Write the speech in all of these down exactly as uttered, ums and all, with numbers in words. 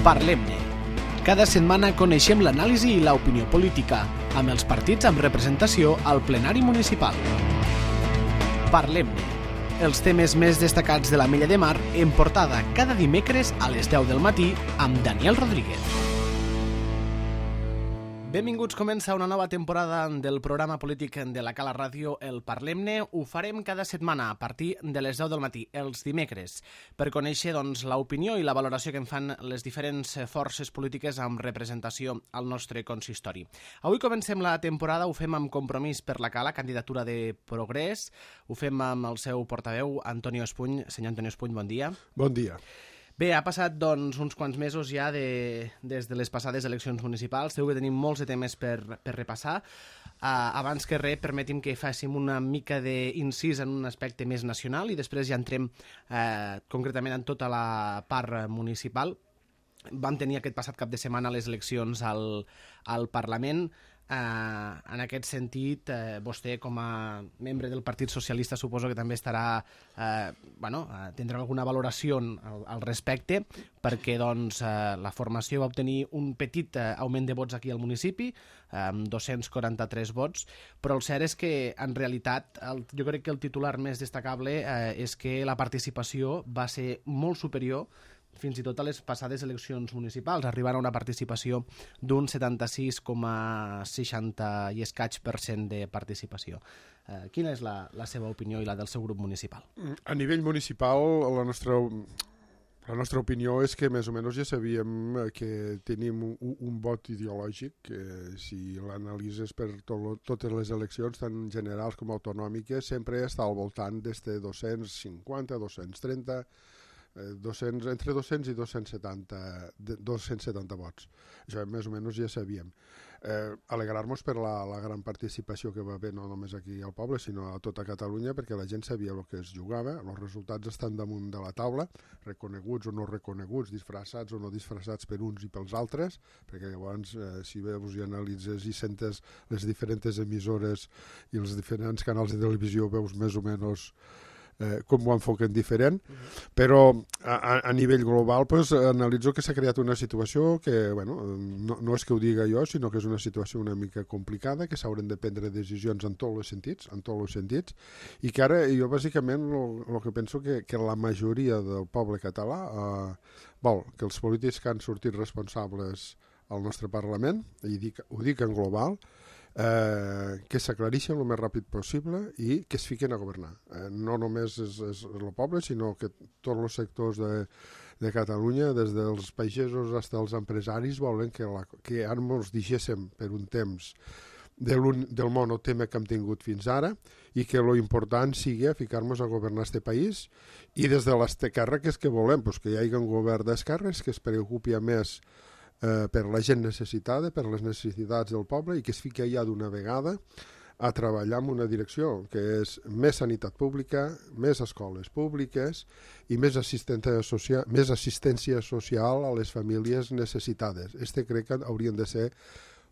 Parlem-ne. Cada setmana coneixem l'anàlisi i l'opinió política, amb els partits amb representació al plenari municipal. Parlem-ne. Els temes més destacats de la Mella de Mar en portada cada dimecres a les deu del matí amb Daniel Rodríguez. Benvinguts, comença una nova temporada del programa polític de la Cala Ràdio, el Parlem-ne. Ho farem cada setmana a partir de les deu del matí, els dimecres, per conèixer doncs, l'opinió i la valoració que en fan les diferents forces polítiques amb representació al nostre consistori. Avui comencem la temporada, ho fem amb Compromís per la Cala, candidatura de Progrés. Ho fem amb el seu portaveu, Antonio Espuny. Senyor Antonio Espuny, bon dia. Bon dia. Bé, ha passat doncs, uns quants mesos ja de, des de les passades eleccions municipals. Segur que tenim molts de temes per, per repassar. Uh, abans que res, permeti'm que fàssim una mica d'incís en un aspecte més nacional i després ja entrem uh, concretament en tota la part municipal. Vam tenir aquest passat cap de setmana les eleccions al, al Parlament. Uh, en aquest sentit, uh, vostè com a membre del Partit Socialista suposo que també estarà, uh, bueno, uh, tindrà alguna valoració al, al respecte, perquè doncs, uh, la formació va obtenir un petit uh, augment de vots aquí al municipi, amb um, dos-cents quaranta-tres vots, però el cert és que en realitat el, jo crec que el titular més destacable uh, és que la participació va ser molt superior fins i tot a les passades eleccions municipals, arribant a una participació d'un setanta-sis coma seixanta i escaig per cent de participació. Eh, quina és la, la seva opinió i la del seu grup municipal? A nivell municipal, la nostra, la nostra opinió és que més o menys ja sabíem que tenim un, un vot ideològic, que si l'analitzes per to, totes les eleccions, tant generals com autonòmiques, sempre està al voltant d'este dos-cents cinquanta, dos-cents trenta, dos-cents, entre dos-cents i dos-cents setanta, dos-cents setanta vots. Això més o menys ja sabíem. Eh, alegrar-nos per la, la gran participació que va haver no només aquí al poble, sinó a tota Catalunya, perquè la gent sabia el que es jugava, els resultats estan damunt de la taula, reconeguts o no reconeguts, disfressats o no disfressats per uns i pels altres, perquè llavors, eh, si veus i analitzes i sentes les diferents emissores i els diferents canals de televisió, veus més o menys Eh, com ho enfoquen diferent, uh-huh. Però a, a nivell global pues, analitzo que s'ha creat una situació que, bueno, no, no és que ho diga jo, sinó que és una situació una mica complicada, que s'hauran de prendre decisions en tots els sentits, en tots els sentits, i que ara jo bàsicament el que penso que, que la majoria del poble català eh, vol que els polítics que han sortit responsables al nostre Parlament, i dic, ho dic en global, Eh, que s'aclareixen el més ràpid possible i que es fiquen a governar. Eh, no només és, és el poble, sinó que tots els sectors de, de Catalunya, des dels pagesos fins als empresaris, volen que, la, que ara ens deixéssim per un temps del, del monotema que hem tingut fins ara i que lo important sigui ficar-nos a governar este país i des de l'esquerra que és que volem, pues, que hi hagi un govern d'esquerres que es preocupi a més Eh, per la gent necessitada, per les necessitats del poble i que es fiqui ja d'una vegada a treballar en una direcció que és més sanitat pública, més escoles públiques i més assistència social, més assistència social a les famílies necessitades. Este crec que haurien de ser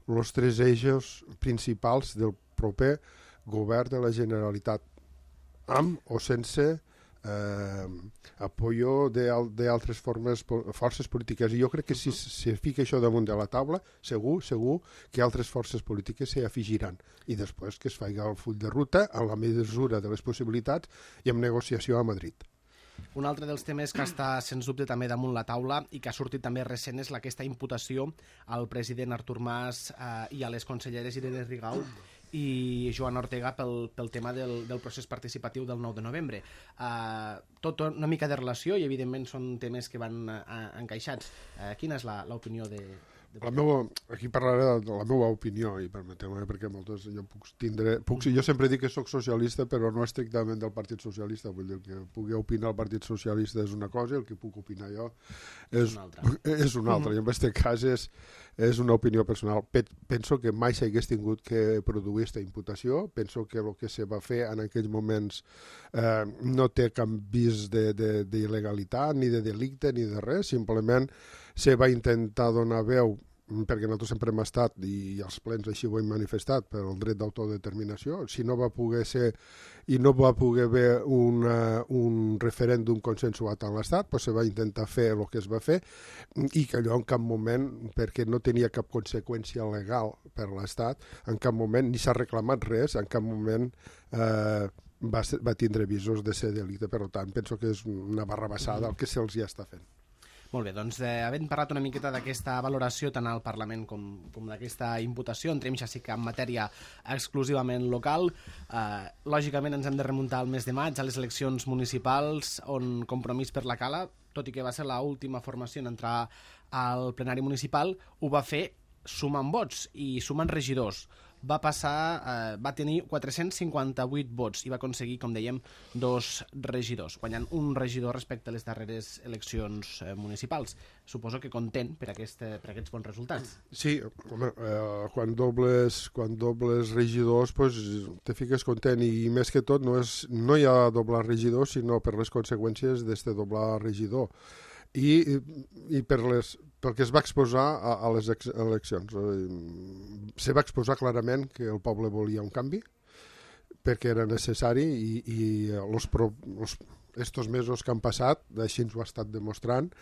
els tres eixos principals del proper govern de la Generalitat, amb o sense Eh, apoyo d'altres formes forces polítiques, i jo crec que si se fica això damunt de la taula segur, segur que altres forces polítiques s'hi afegiran i després que es faci el full de ruta en la mesura de les possibilitats i amb negociació a Madrid. Un altre dels temes que està sens dubte també damunt la taula i que ha sortit també recent és aquesta imputació al president Artur Mas eh, i a les conselleres Irene Rigau i Joana Ortega pel, pel tema del, del procés participatiu del nou de novembre. Uh, tot una mica de relació i evidentment són temes que van uh, encaixats. Uh, quina és l'opinió de... de... La meua, aquí parlaré de la meva opinió i permeteu-me perquè moltes jo puc tindre, puc, jo sempre dic que sóc socialista però no estrictament del Partit Socialista, vull dir que pugui opinar el Partit Socialista és una cosa i el que puc opinar jo és, és una altra, és una altra. I en aquest cas és, és una opinió personal. Penso que mai s'hagués tingut que produir aquesta imputació, penso que el que se va fer en aquells moments eh, no té cap vis d'il·legalitat ni de delicte ni de res, simplement se va intentar donar veu perquè nosaltres sempre hem estat, i els plens així ho hem manifestat, per el dret d'autodeterminació. Si no va poder ser i no va poder haver una, un un referèndum consensuat en l'Estat, doncs se va intentar fer el que es va fer i que allò en cap moment, perquè no tenia cap conseqüència legal per l'Estat, en cap moment ni s'ha reclamat res, en cap moment eh, va, ser, va tindre visos de ser delicte. Per tant, penso que és una barrabassada el que se'ls ja està fent. Molt bé, doncs eh, havent parlat una miqueta d'aquesta valoració tant al Parlament com, com d'aquesta imputació, entrem ja sí que en matèria exclusivament local. Eh, lògicament ens hem de remuntar al mes de maig, a les eleccions municipals, on Compromís per la Cala, tot i que va ser l'última formació en entrar al plenari municipal, ho va fer sumant vots i sumant regidors. Va passar, eh, va tenir quatre-cents cinquanta-vuit vots i va aconseguir, com dèiem, dos regidors, guanyant un regidor respecte a les darreres eleccions eh, municipals. Suposo que content per, aquest, per aquests bons resultats. Sí, home, eh, quan, dobles, quan dobles regidors pues, te fiques content i més que tot no, és, no hi ha doblar regidor sinó per les conseqüències d'este doblar regidor. I, i per les, pel que es va exposar a, a les ex, eleccions. Se va exposar clarament que el poble volia un canvi, perquè era necessari i, i los pro, los, estos mesos que han passat, així ens ho ha estat demostrant,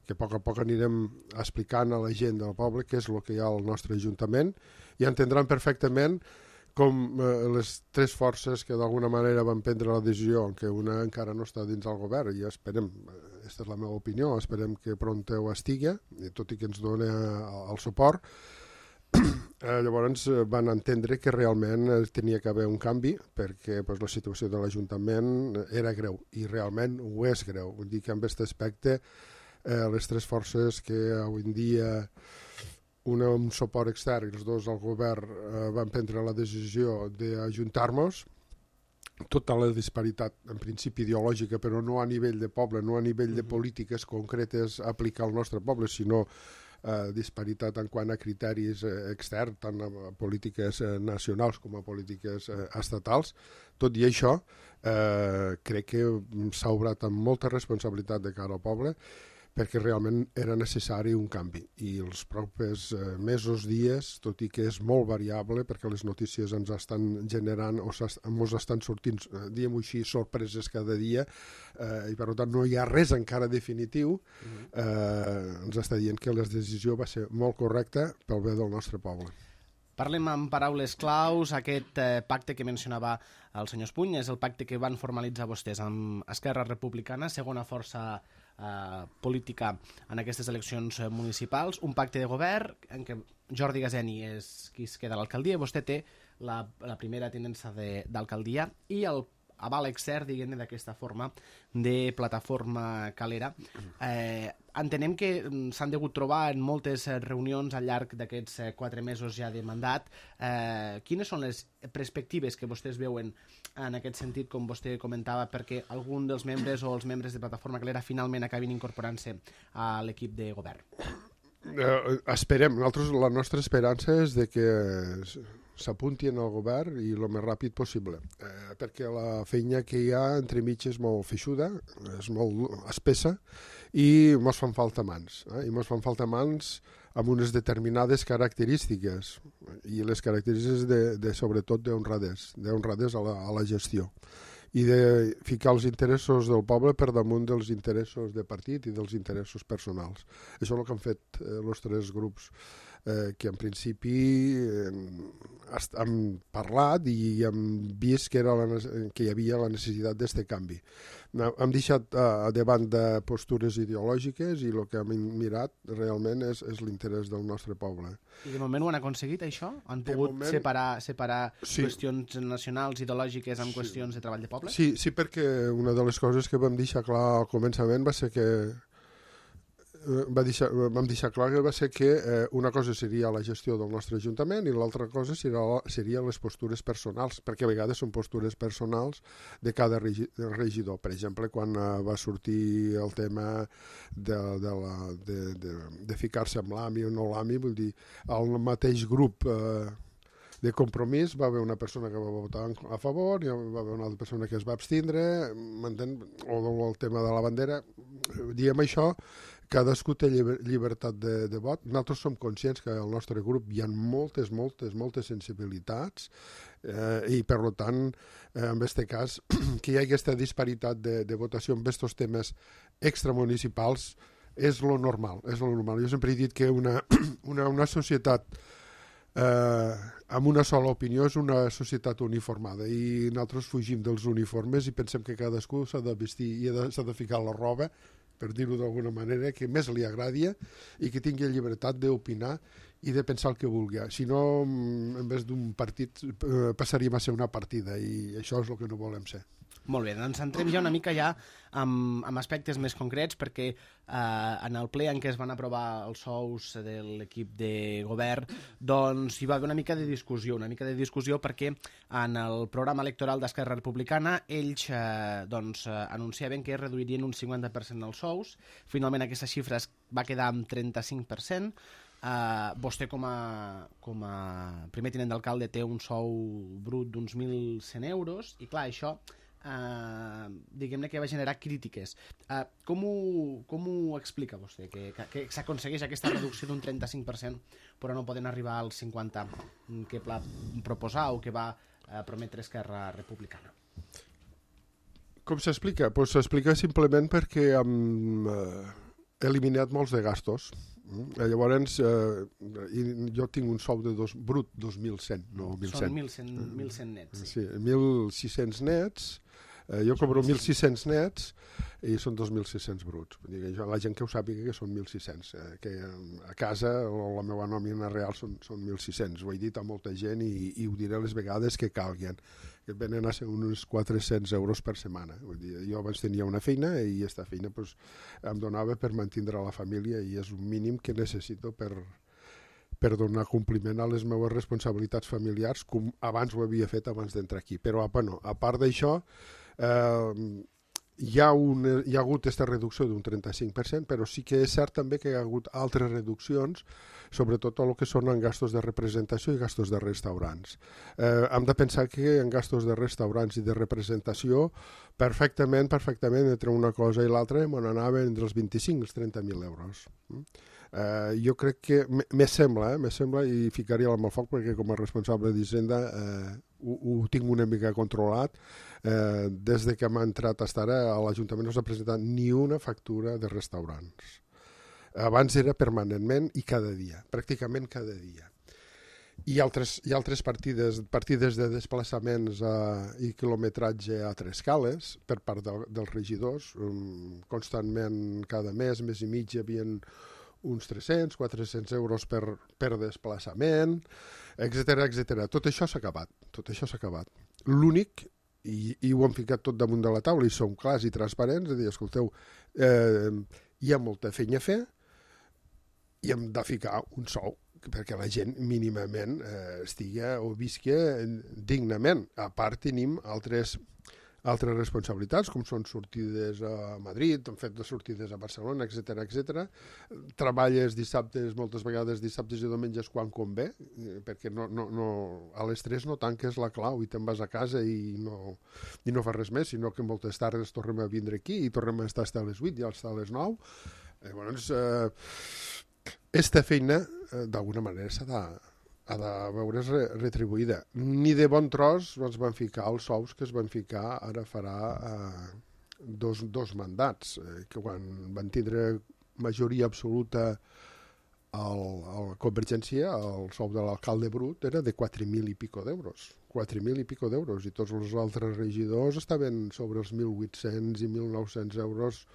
que a poc a poc anirem explicant a la gent del poble què és el que hi ha al nostre Ajuntament i entendran perfectament com eh, les tres forces que d'alguna manera van prendre la decisió, que una encara no està dins del govern, i esperem, aquesta és la meva opinió, esperem que pront ho estigui, tot i que ens doni el suport, eh, llavors van entendre que realment tenia que haver un canvi, perquè pues, la situació de l'Ajuntament era greu, i realment ho és greu. Vull dir que en aquest aspecte eh, les tres forces que avui en dia una amb suport extern i els dos al govern eh, van prendre la decisió d'ajuntar-nos, tota la disparitat en principi ideològica, però no a nivell de poble, no a nivell de polítiques concretes a aplicar al nostre poble, sinó eh, disparitat en quant a criteris eh, externs, tant a polítiques eh, nacionals com a polítiques eh, estatals. Tot i això, eh, crec que s'ha obrat amb molta responsabilitat de cara al poble, perquè realment era necessari un canvi. I els propers eh, mesos, dies, tot i que és molt variable, perquè les notícies ens estan generant o ens estan sortint, eh, diguem-ho així, sorpreses cada dia, eh, i per tant no hi ha res encara definitiu, eh, ens està dient que la decisió va ser molt correcta pel bé del nostre poble. Parlem amb paraules claus. Aquest eh, pacte que mencionava el senyor Espuny és el pacte que van formalitzar vostès amb Esquerra Republicana, segona força eh, política en aquestes eleccions municipals, un pacte de govern en què Jordi Gazeni és qui es queda a l'alcaldia, vostè té la, la primera tinença d'alcaldia i el aval extern, diguem-ne, d'aquesta forma de plataforma calera. Eh, entenem que s'han degut trobar en moltes reunions al llarg d'aquests quatre mesos ja de mandat. Eh, quines són les perspectives que vostès veuen en aquest sentit, com vostè comentava, perquè algun dels membres o els membres de plataforma calera finalment acabin incorporant-se a l'equip de govern? Eh, esperem, nosaltres, la nostra esperança és de que s'apuntin al govern i el més ràpid possible, eh, perquè la feina que hi ha entremig és molt feixuda, és molt espessa i mos fan falta mans, eh? i mos fan falta mans amb unes determinades característiques i les característiques de, de sobretot d'honradès, d'honradès a, la, a la gestió i de ficar els interessos del poble per damunt dels interessos de partit i dels interessos personals. Això és el que han fet eh, els tres grups eh, que en principi eh, hem parlat i hem vist que, era la, que hi havia la necessitat d'aquest canvi. Hem deixat eh, davant de postures ideològiques i el que hem mirat realment és, és l'interès del nostre poble. I de moment ho han aconseguit, això? Han de pogut moment, separar, separar sí. qüestions nacionals, ideològiques, amb sí. qüestions de treball de poble? Sí, sí, perquè una de les coses que vam deixar clar al començament va ser que va deixar, vam deixar clar que va ser que eh, una cosa seria la gestió del nostre Ajuntament i l'altra cosa seria, seria les postures personals, perquè a vegades són postures personals de cada regidor. Per exemple, quan eh, va sortir el tema de, de, la, de, de, de ficar-se amb l'A M I o no l'A M I, vull dir, el mateix grup eh, de Compromís va haver una persona que va votar a favor i va haver una altra persona que es va abstindre, m'entén? O el tema de la bandera. Diem això cadascú té lliber, llibertat de, de vot. Nosaltres som conscients que al nostre grup hi ha moltes, moltes, moltes sensibilitats eh, i, per tant, eh, en aquest cas, que hi ha aquesta disparitat de, de votació en aquests temes extramunicipals és lo normal, és lo normal. Jo sempre he dit que una, una, una societat eh, amb una sola opinió és una societat uniformada i nosaltres fugim dels uniformes i pensem que cadascú s'ha de vestir i s'ha de ficar la roba, per dir-ho d'alguna manera, que més li agradi i que tingui llibertat d'opinar i de pensar el que vulgui. Si no, en vez d'un partit, eh, passaríem a ser una partida i això és el que no volem ser. Molt bé, doncs entrem ja una mica ja amb, amb aspectes més concrets perquè eh, en el ple en què es van aprovar els sous de l'equip de govern doncs hi va haver una mica de discussió, una mica de discussió perquè en el programa electoral d'Esquerra Republicana ells eh, doncs, eh, anunciaven que reduirien un cinquanta per cent els sous, finalment aquesta xifra es va quedar amb trenta-cinc per cent. Uh, vostè com a, com a primer tinent d'alcalde té un sou brut d'uns mil cent euros i clar, això Uh, diguem-ne que va generar crítiques. Uh, com, ho, com ho explica vostè? Que, que, que s'aconsegueix aquesta reducció d'un trenta-cinc per cent però no poden arribar al cinquanta per cent que va proposar o que va uh, prometre Esquerra Republicana? Com s'explica? Pues s'explica simplement perquè hem eh, eliminat molts de gastos. Mm? Llavors, eh, jo tinc un sou de dos, brut dos mil cent, no mil cent. Són mil cent nets. Sí, sí mil sis-cents nets. Eh, jo cobro mil sis-cents nets i són dos mil sis-cents bruts. Vull dir que jo, la gent que ho sàpiga que són mil sis-cents, eh, que a casa o la meva nòmina real són, són mil sis-cents. Ho he dit a molta gent i, i ho diré les vegades que calguin, que venen a ser uns quatre-cents euros per setmana. Vull dir, jo abans tenia una feina i aquesta feina pues, em donava per mantenir la família i és un mínim que necessito per, per donar compliment a les meves responsabilitats familiars com abans ho havia fet abans d'entrar aquí. Però bueno, a part d'això, Uh, hi, ha un, hi ha hagut aquesta reducció d'un trenta-cinc per cent, però sí que és cert també que hi ha hagut altres reduccions, sobretot el que són en gastos de representació i gastos de restaurants. Uh, hem de pensar que en gastos de restaurants i de representació perfectament, perfectament entre una cosa i l'altra me n'anaven entre els vint-i-cinc i els trenta mil euros. Uh, jo crec que me sembla, eh, me sembla i ficaria la mà al foc perquè com a responsable d'Hisenda uh, ho, ho tinc una mica controlat. Uh, des de que m'ha entrat a estar a l'Ajuntament no s'ha presentat ni una factura de restaurants. Abans era permanentment i cada dia, pràcticament cada dia. Hi ha altres, hi ha altres partides, partides de desplaçaments uh, i quilometratge a Trescales per part de, dels regidors. Um, constantment cada mes, mes i mig, hi havia uns tres-cents, quatre-cents euros per, per desplaçament, etcètera, etcètera. Tot això s'ha acabat, tot això s'ha acabat. L'únic, i, i ho hem ficat tot damunt de la taula i som clars i transparents, és a dir, escolteu, eh, hi ha molta feina a fer i hem de ficar un sou perquè la gent mínimament eh, estigui o visqui dignament. A part tenim altres altres responsabilitats, com són sortides a Madrid, hem fet de sortides a Barcelona, etcètera, etcètera. Treballes dissabtes, moltes vegades dissabtes i diumenges quan convé, perquè no, no, no, a les tres no tanques la clau i te'n vas a casa i no, i no fas res més, sinó que moltes tardes tornem a vindre aquí i tornem a estar a les vuit i estar a les nou. Llavors, eh, esta feina, eh, d'alguna manera, s'ha de... ha de veure's retribuïda. Ni de bon tros ens van ficar els sous que es van ficar ara farà eh, dos, dos mandats, eh, que quan van tindre majoria absoluta a la Convergència, el sou de l'alcalde brut era de quatre mil i pico d'euros. quatre mil i pico d'euros, i tots els altres regidors estaven sobre els mil vuit-cents i mil nou-cents euros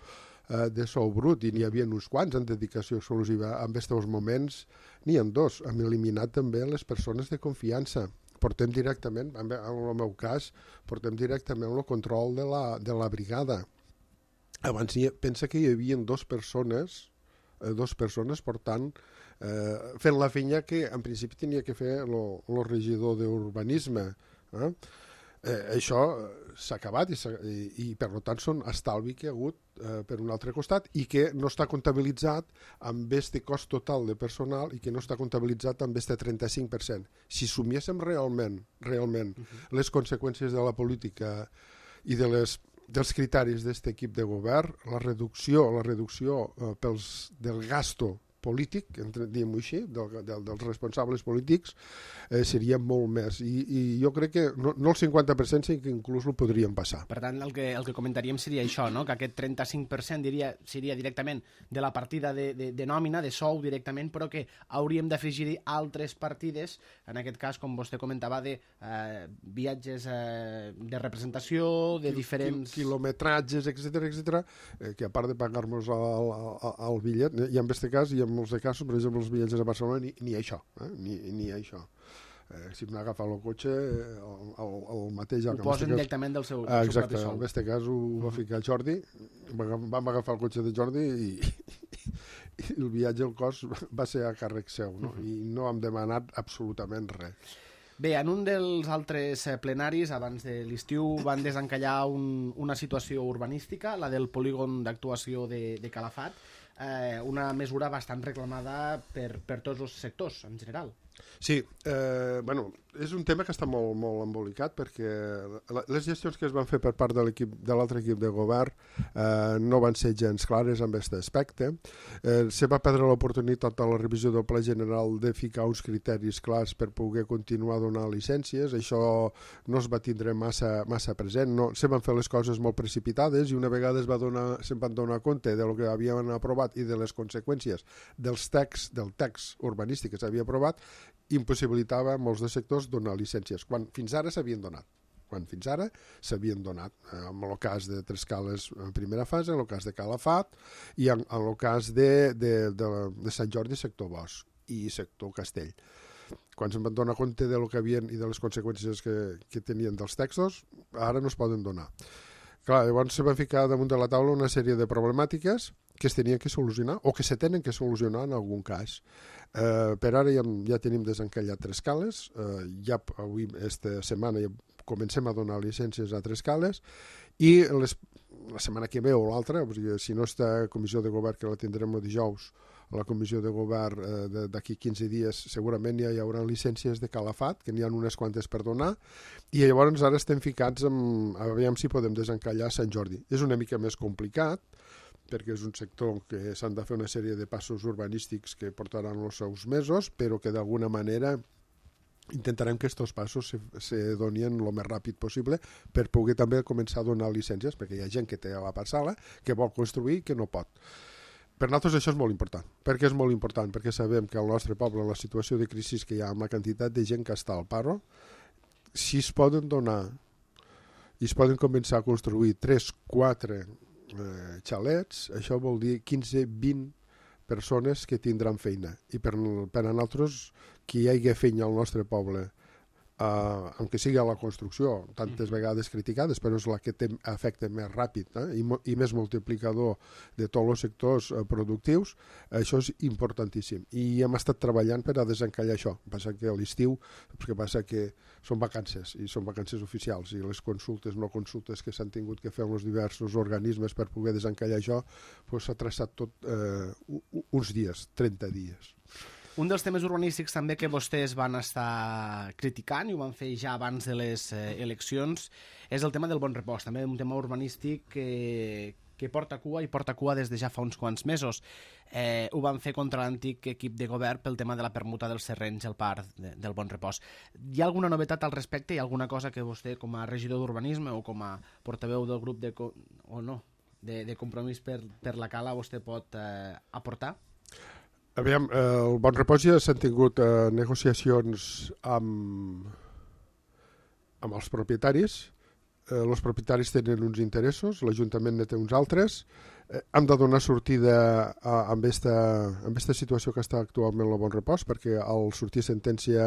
de sou brut, i n'hi havia uns quants en dedicació exclusiva. En aquests moments n'hi ha dos. Hem eliminat també les persones de confiança. Portem directament, en el meu cas, portem directament el control de la, de la brigada. Abans pensa que hi havia dos persones, eh, dos persones portant, eh, fent la feina que en principi tenia que fer el regidor d'urbanisme. Eh? Eh, això s'ha acabat i, i, i per tant són estalvi que hi ha hagut eh, per un altre costat i que no està comptabilitzat amb este cost total de personal i que no està comptabilitzat amb este trenta-cinc per cent. Si sumiéssim realment, realment uh-huh. les conseqüències de la política i de les dels criteris d'aquest equip de govern, la reducció, la reducció eh, pels, del gasto polític, entre, diguem-ho així, del, del, dels responsables polítics, eh, seria molt més. I, i jo crec que no, no el cinquanta per cent, sinó que inclús ho podríem passar. Per tant, el que, el que comentaríem seria això, no? Que aquest trenta-cinc per cent diria, seria directament de la partida de, de, de nòmina, de sou directament, però que hauríem d'afegir-hi altres partides, en aquest cas, com vostè comentava, de eh, viatges eh, de representació, de Quil, diferents... Quilometratges, etcètera, etcètera, eh, que a part de pagar-nos el, el, el bitllet, i en aquest cas, i en molts de casos, per exemple, els viatges a Barcelona, ni, ni això, eh? ni, ni això. Eh, si m'ha agafat el cotxe, el, el, el mateix... Ho posen cas, directament del seu, del exacte, seu propi sou. En aquest cas ho uh-huh. va ficar Jordi, vam agafar el cotxe de Jordi i, i el viatge, el cost, va ser a càrrec seu, no? Uh-huh. I no hem demanat absolutament res. Bé, en un dels altres plenaris, abans de l'estiu, van desencallar un, una situació urbanística, la del polígon d'actuació de, de Calafat, eh, una mesura bastant reclamada per, per tots els sectors, en general. Sí, eh, bueno, és un tema que està molt, molt embolicat perquè les gestions que es van fer per part de l'equip de l'altre equip de govern eh, no van ser gens clares en aquest aspecte. Eh, se va perdre l'oportunitat a la revisió del Pla General de ficar uns criteris clars per poder continuar donant llicències. Això no es va tindre massa, massa present. No, se van fer les coses molt precipitades i una vegada es va donar, se'n van donar compte de lo que havien aprovat i de les conseqüències dels texts, del text urbanístic que s'havia aprovat, impossibilitava a molts de sectors donar llicències, quan fins ara s'havien donat. Quan fins ara s'havien donat. En el cas de Trescales en primera fase, en el cas de Calafat i en, en el cas de, de, de, de Sant Jordi, sector Bosch i sector Castell. Quan se'n van donar compte de lo que havien i de les conseqüències que, que tenien dels textos, ara no es poden donar. Clar, llavors se van ficar damunt de la taula una sèrie de problemàtiques que es tenien que solucionar o que se tenen que solucionar en algun cas. Eh, per ara ja, ja tenim desencallat Trescales, eh, ja avui, esta setmana, ja comencem a donar llicències a Trescales i les, la setmana que ve o l'altra, si no està comissió de govern, que la tindrem el dijous, a la comissió de govern eh, d'aquí quinze dies segurament ja hi haurà llicències de Calafat, que n'hi ha unes quantes per donar, i llavors ara estem ficats en, a veure si podem desencallar Sant Jordi. És una mica més complicat, perquè és un sector que s'han de fer una sèrie de passos urbanístics que portaran els seus mesos, però que d'alguna manera intentarem que aquests passos se, se donien el més ràpid possible per poder també començar a donar llicències, perquè hi ha gent que té la parcel·la, que vol construir i que no pot. Per nosaltres això és molt important. Per què és molt important? Perquè sabem que al nostre poble, la situació de crisi que hi ha amb la quantitat de gent que està al paro, si es poden donar i es poden començar a construir tres, quatre Eh, xalets, això vol dir quinze vint persones que tindran feina i per, per a nosaltres que hi hagi feina al nostre poble Uh, aunque sigui a la construcció, tantes vegades criticades, però és la que té efecte més ràpid eh? I, i més multiplicador de tots els sectors uh, productius. Això és importantíssim. I hem estat treballant per a desencallar això. Passa que a l'estiu, que passa que són vacances, i són vacances oficials, i les consultes, no consultes que s'han tingut que fer amb els diversos organismes per poder desencallar això, pues, s'ha traçat tot uh, uns dies, trenta dies. Un dels temes urbanístics també que vostès van estar criticant i ho van fer ja abans de les eh, eleccions és el tema del Bon Repòs, també un tema urbanístic que, que porta cua i porta cua des de ja fa uns quants mesos. Eh, ho van fer contra l'antic equip de govern pel tema de la permuta dels terrenys al parc de, del Bon Repòs. Hi ha alguna novetat al respecte? Hi ha alguna cosa que vostè, com a regidor d'urbanisme o com a portaveu del grup de, o no, de, de compromís per, per la Cala, vostè pot eh, aportar? Aviam, eh, el Bon Repòs ja s'han tingut eh, negociacions amb, amb els propietaris. Eh, els propietaris tenen uns interessos, l'Ajuntament ne té uns altres. Eh, hem de donar sortida a, a aquesta situació que està actualment el Bon Repòs, perquè al sortir sentència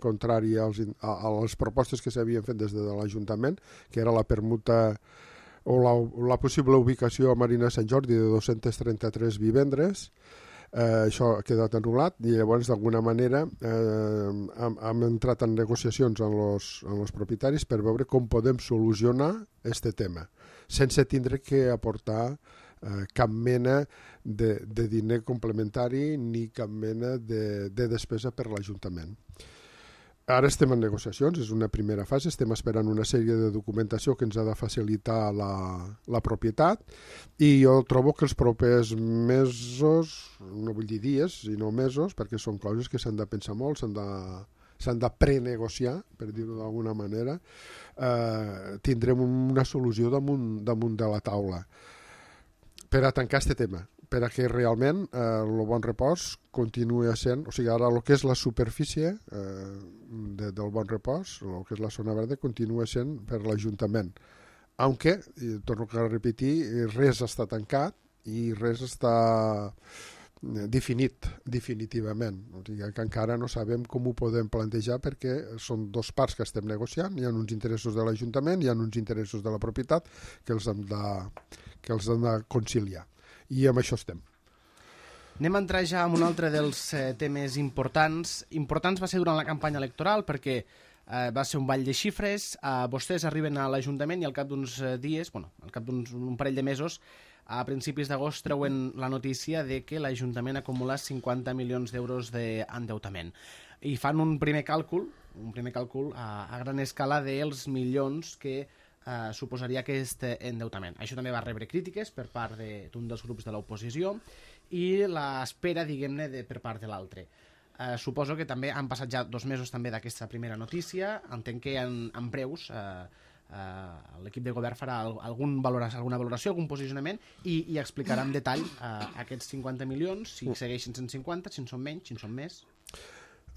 contrària als, a, a les propostes que s'havien fet des de l'Ajuntament, que era la permuta o la, la possible ubicació a Marina Sant Jordi de dos-cents trenta-tres vivendres, Eh, això ha quedat anul·lat i llavors d'alguna manera eh, hem, hem entrat en negociacions amb els, amb els propietaris per veure com podem solucionar aquest tema sense tindre que aportar eh, cap mena de, de diner complementari ni cap mena de, de despesa per l'Ajuntament. Ara estem en negociacions, és una primera fase, estem esperant una sèrie de documentació que ens ha de facilitar la, la propietat i jo trobo que els propers mesos, no vull dir dies, sinó mesos, perquè són coses que s'han de pensar molt, s'han de, s'han de prenegociar, per dir-ho d'alguna manera, eh, tindrem una solució damunt, damunt de la taula per a tancar aquest tema, per a que realment eh, el Bon Repòs continuï sent, o sigui, ara el que és la superfície eh, de, del Bon Repòs, el que és la zona verda, continua sent per l'Ajuntament. Aunque, i torno a repetir, res està tancat i res està definit definitivament. O sigui, que encara no sabem com ho podem plantejar perquè són dos parts que estem negociant, hi ha uns interessos de l'Ajuntament, hi ha uns interessos de la propietat que els hem de, que els hem de conciliar. I amb això estem. Anem a entrar ja en un altre dels eh, temes importants. Importants va ser durant la campanya electoral perquè eh, va ser un ball de xifres. Eh, vostès arriben a l'Ajuntament i al cap d'uns dies, bueno, al cap d'un parell de mesos, a principis d'agost treuen la notícia de que l'Ajuntament acumula cinquanta milions d'euros d'endeutament. I fan un primer càlcul, un primer càlcul a, a gran escala dels milions que Uh, suposaria aquest endeutament. Això també va rebre crítiques per part d'un de, dels grups de l'oposició i l'espera, diguem-ne, de, per part de l'altre. Uh, suposo que també han passat ja dos mesos també d'aquesta primera notícia. Entenc que en, en breus uh, uh, l'equip de govern farà algun valoració, alguna valoració, algun posicionament i, i explicarà en detall uh, aquests cinquanta milions, si segueixen cent cinquanta, si en són menys, si en són més.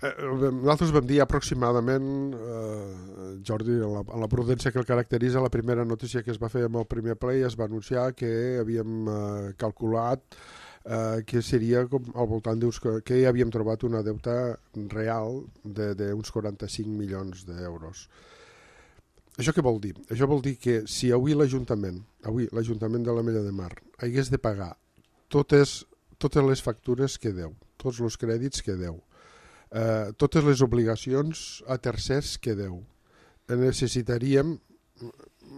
Nosaltres vam dir aproximadament, eh, Jordi, en la, en la prudència que el caracteritza, la primera notícia que es va fer amb el primer ple i es va anunciar que havíem eh, calculat eh, que seria com al voltant d'uns, que hi havíem trobat una deuta real d'uns quaranta-cinc milions d'euros. Això què vol dir? Això vol dir que si avui l'Ajuntament, avui l'Ajuntament de l'Ametlla de Mar hagués de pagar totes, totes les factures que deu, tots els crèdits que deu, Uh, totes les obligacions a tercers que deu, necessitaríem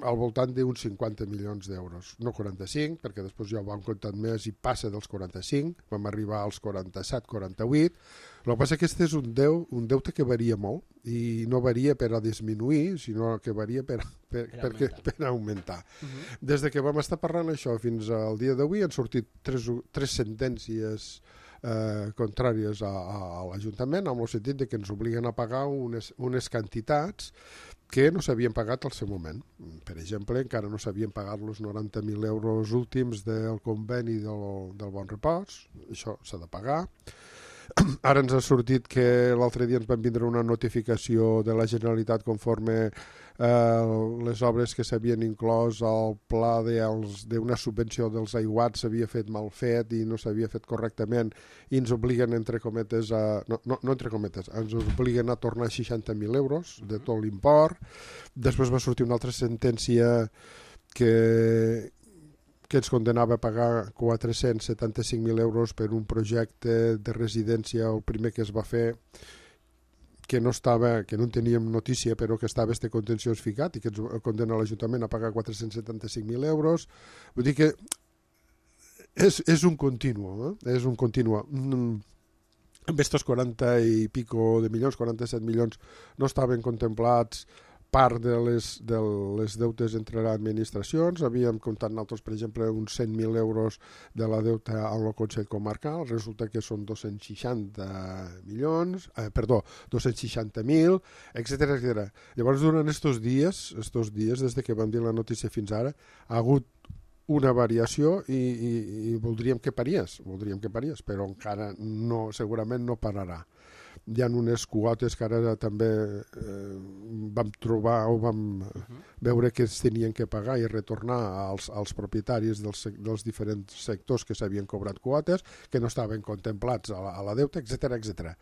al voltant d'uns cinquanta milions d'euros, no quaranta-cinc, perquè després ja ho vam comptar més i passa dels quaranta-cinc, vam arribar als quaranta-set quaranta-vuit. El que passa és que este és un, deu, un deute que varia molt i no varia per a disminuir, sinó que varia per, per, per, per, augmentar. per augmentar. Uh-huh. Des de que vam estar parlant això fins al dia d'avui han sortit tres, tres sentències Eh, contràries a, a, a l'Ajuntament, amb el sentit de que ens obliguen a pagar unes, unes quantitats que no s'havien pagat al seu moment. Per exemple, encara no s'havien pagat els noranta mil euros últims del conveni del, del Bon Repòs, això s'ha de pagar. Ara ens ha sortit que l'altre dia ens van vindre una notificació de la Generalitat conforme eh, les obres que s'havien inclòs al pla d'una subvenció dels aiguats s'havia fet mal fet i no s'havia fet correctament i ens obliguen, entre cometes, a, no, no, no entre cometes, ens obliguen a tornar seixanta mil euros de tot l'import. Després va sortir una altra sentència que que ens condenava a pagar quatre-cents setanta-cinc mil euros per un projecte de residència, el primer que es va fer, que no estava, que no en teníem notícia, però que estava este contenciós ficat i que ens condena l'Ajuntament a pagar quatre-cents setanta-cinc mil euros. Vull dir que és, és un continu, eh? és un continu. Mm. Amb estos quaranta i pico de milions, quaranta-set milions, no estaven contemplats part de les, de les deutes entre les administracions. Havíem comptat nosaltres, per exemple, uns cent mil euros de la deuta al Consell Comarcal. Resulta que són dos-cents seixanta milions, eh, perdó, dos-cents seixanta mil, etcètera, etcètera. Llavors, durant estos dies, estos dies, des que vam dir la notícia fins ara, ha hagut una variació i, i, i voldríem que parés, voldríem que parés, però encara no, segurament no pararà. Hi ha unes quotes que ara també eh, vam trobar o vam uh-huh. veure que es tenien que pagar i retornar als, als propietaris dels, dels diferents sectors que s'havien cobrat quotes, que no estaven contemplats a la, a la deuta, etcètera, etcètera.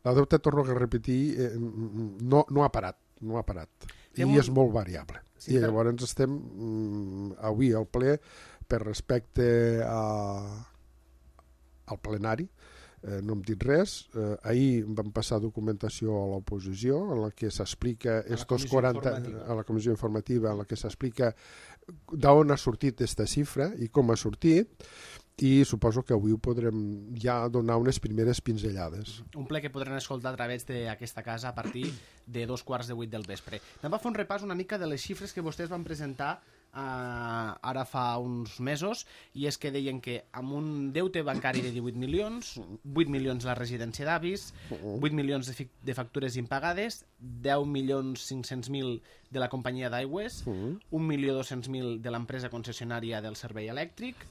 La deuta, torno a repetir, eh, no, no ha parat, no ha parat. I molt... és molt variable. Sí, I llavors però... estem mm, avui al ple, per respecte a, al plenari, Eh, no hem dit res. Eh, ahir vam passar documentació a l'oposició en la que s'explica estos quaranta a la comissió informativa en la que s'explica d'on ha sortit aquesta xifra i com ha sortit i suposo que avui ho podrem ja donar unes primeres pinzellades. Un ple que podran escoltar a través d'aquesta casa a partir de dos quarts de vuit del vespre. Anem a fer un repàs una mica de les xifres que vostès van presentar Uh, ara fa uns mesos, i és que deien que amb un deute bancari de divuit milions, vuit milions la residència d'avis, vuit milions de, de factures impagades, deu milions cinc-cents mil de la companyia d'aigües, un milió dos-cents mil de l'empresa concessionària del servei elèctric,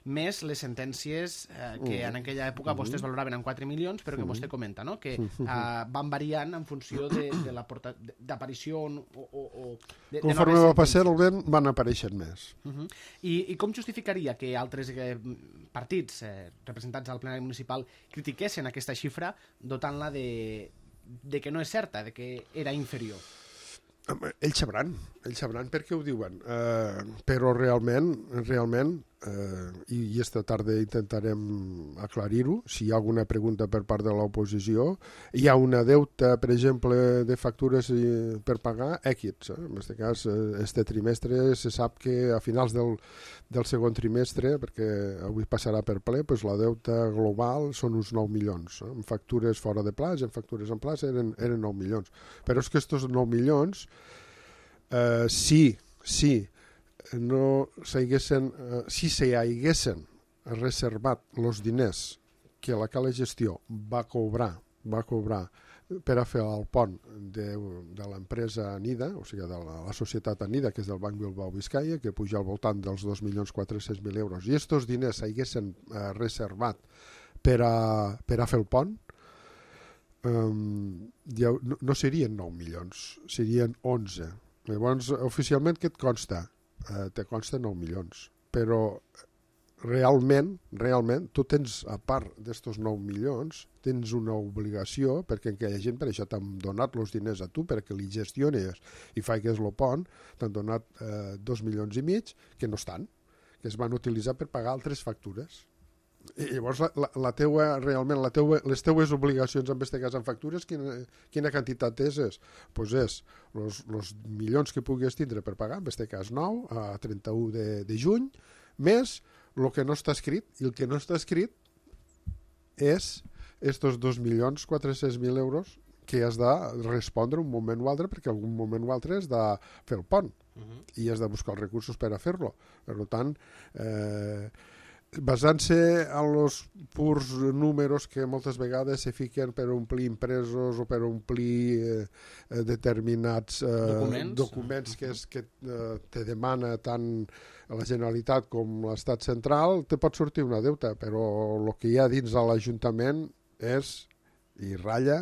més les sentències uh, que en aquella època vostès valoraven en quatre milions, però que vostè comenta, no? Que uh, van variant en funció de, de l'aparició o, o, o de, conforme va passar el vent van aparèixer més. Uh -huh. I, I com justificaria que altres eh, partits eh, representats al plenari municipal critiquessin aquesta xifra dotant-la de, de que no és certa, de que era inferior? Ells sabran, ells sabran per què ho diuen, uh, però realment, realment uh, i, i esta tarda intentarem aclarir-ho, si hi ha alguna pregunta per part de l'oposició, hi ha una deuta, per exemple, de factures per pagar èquits. Eh? En aquest cas, este trimestre se sap que a finals del, del segon trimestre, perquè avui passarà per ple, pues la deuta global són uns nou milions. Eh? En factures fora de plaç, en factures en plaç eren, eren nou milions. Però és que estos nou milions Uh, si, si no s'haguessin, uh, si se haguessin reservat els diners que la Cala Gestió va cobrar, va cobrar per a fer el pont de, de l'empresa Anida, o sigui, de la, la societat Anida, que és del Banc Bilbao Vizcaya, que puja al voltant dels dos milions quatre-cents mil euros, i aquests diners s'haguessin uh, reservat per a, per a fer el pont, um, ja, no, no serien nou milions, serien onze. Llavors, oficialment, què et consta? Eh, te consta nou milions. Però realment, realment, tu tens, a part d'estos nou milions, tens una obligació, perquè aquella gent per això t'han donat els diners a tu, perquè li gestiones i faigues el pont, t'han donat eh, dos milions i mig, que no estan, que es van utilitzar per pagar altres factures. I llavors la, la, la teua, realment la teua, les teues obligacions en aquest cas en factures, quina, quina quantitat és? És? Pues és els milions que puguis tindre per pagar, en aquest cas nou, a trenta-u de, de juny, més el que no està escrit, i el que no està escrit és estos dos milions quatre-cents mil euros que has de respondre un moment o altre, perquè algun moment o altre has de fer el pont, uh-huh. i has de buscar els recursos per a fer-lo. Per tant, eh, basant-se en els purs números que moltes vegades se fiquen per omplir impresos o per omplir eh, determinats eh, documents, documents que, és, que eh, te demana tant la Generalitat com l'Estat central, te pot sortir una deuta, però el que hi ha dins de l'Ajuntament és, i ratlla,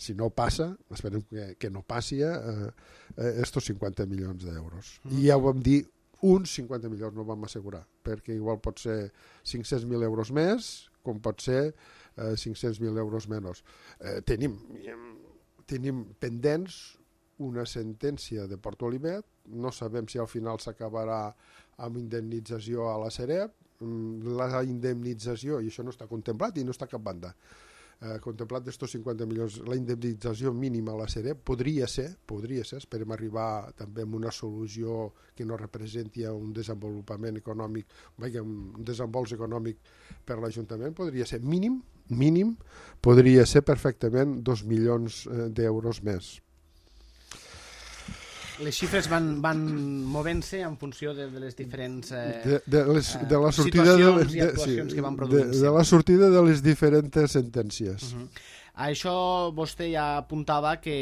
si no passa, esperem que, que no passi, eh, eh, estos cinquanta milions d'euros. Mm. I ja ho vam dir, uns cinquanta milions no vam assegurar, perquè igual pot ser cinc-cents mil euros més, com pot ser eh, cinc-cents mil euros menys. Eh, tenim, tenim pendents una sentència de Port Olivet, no sabem si al final s'acabarà amb indemnització a la Sareb, la indemnització, i això no està contemplat i no està a cap banda, Eh, contemplat d'estos cinquanta milions, la indemnització mínima a la Sareb podria ser, podria ser, esperem arribar també amb una solució que no representi un desenvolupament econòmic, un desenvolup econòmic per l'Ajuntament, podria ser mínim, mínim, podria ser perfectament dos milions d'euros més. Les xifres van, van movent-se en funció de, de les diferents eh, de, de, les, de la sortida situacions de, i actuacions sí, que van produint-se. De, de la sortida de les diferents sentències. Uh-huh. A això vostè ja apuntava que,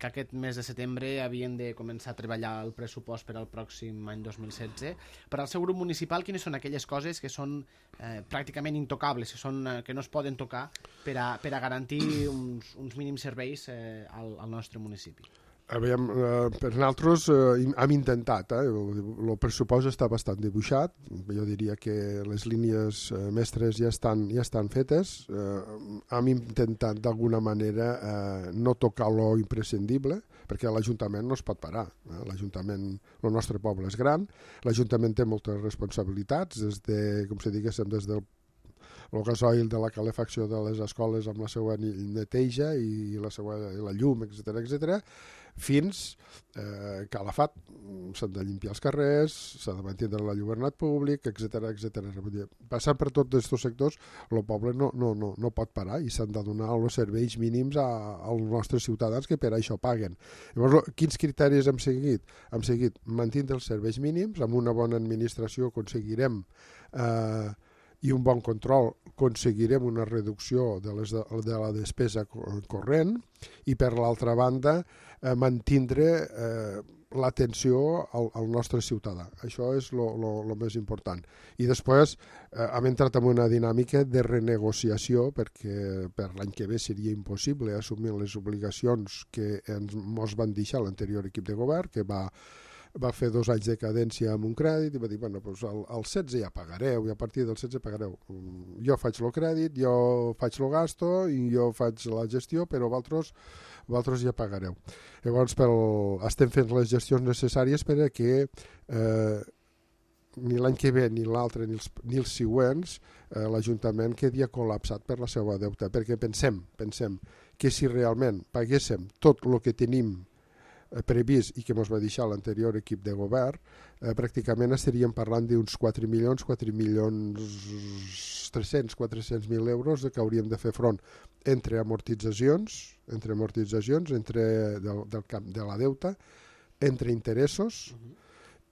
que aquest mes de setembre havien de començar a treballar el pressupost per al pròxim any dos mil setze. Per al seu grup municipal, quines són aquelles coses que són eh, pràcticament intocables, que, són, eh, que no es poden tocar per a, per a garantir uns, uns mínims serveis eh, al, al nostre municipi? Aviam, eh, per nosaltres eh, hem intentat, eh, el, el pressupost està bastant dibuixat, jo diria que les línies eh, mestres ja estan, ja estan fetes, eh, hem intentat d'alguna manera eh, no tocar lo imprescindible, perquè l'Ajuntament no es pot parar, eh? L'Ajuntament, el nostre poble és gran, l'Ajuntament té moltes responsabilitats, des de, com si diguéssim, des del el gasoil de la calefacció de les escoles amb la seva neteja i la, seva, i la llum, etcètera etcètera. fins eh, Calafat. S'han de limpiar els carrers, s'ha de mantenir l'alluernat públic, etcètera etcètera. Passant per tots aquests sectors, el poble no, no, no, no pot parar i s'han de donar els serveis mínims a, als nostres ciutadans que per això paguen. Llavors, quins criteris hem seguit? Hem seguit mantindre els serveis mínims, amb una bona administració aconseguirem eh, i un bon control aconseguirem una reducció de, les de, de la despesa corrent i per l'altra banda eh, mantindre eh, l'atenció al, al nostre ciutadà. Això és el més important. I després eh, hem entrat en una dinàmica de renegociació perquè per l'any que ve seria impossible assumir les obligacions que ens mos van deixar l'anterior equip de govern, que va va fer dos anys de cadència amb un crèdit i va dir, bueno, doncs el, el setze ja pagareu i a partir del setze pagareu. Jo faig el crèdit, jo faig el gasto i jo faig la gestió, però vosaltres, vosaltres ja pagareu. Llavors pel, estem fent les gestions necessàries perquè eh, ni l'any que ve ni l'altre ni, els, ni els següents eh, l'Ajuntament quedi col·lapsat per la seva deuta, perquè pensem, pensem que si realment paguéssim tot el que tenim previst i que ens va deixar l'anterior equip de govern, eh, pràcticament estaríem parlant d'uns quatre milions, quatre milions tres-cents, quatre-cents mil euros que hauríem de fer front entre amortitzacions, entre amortitzacions, entre del, del camp de la deuta, entre interessos uh-huh.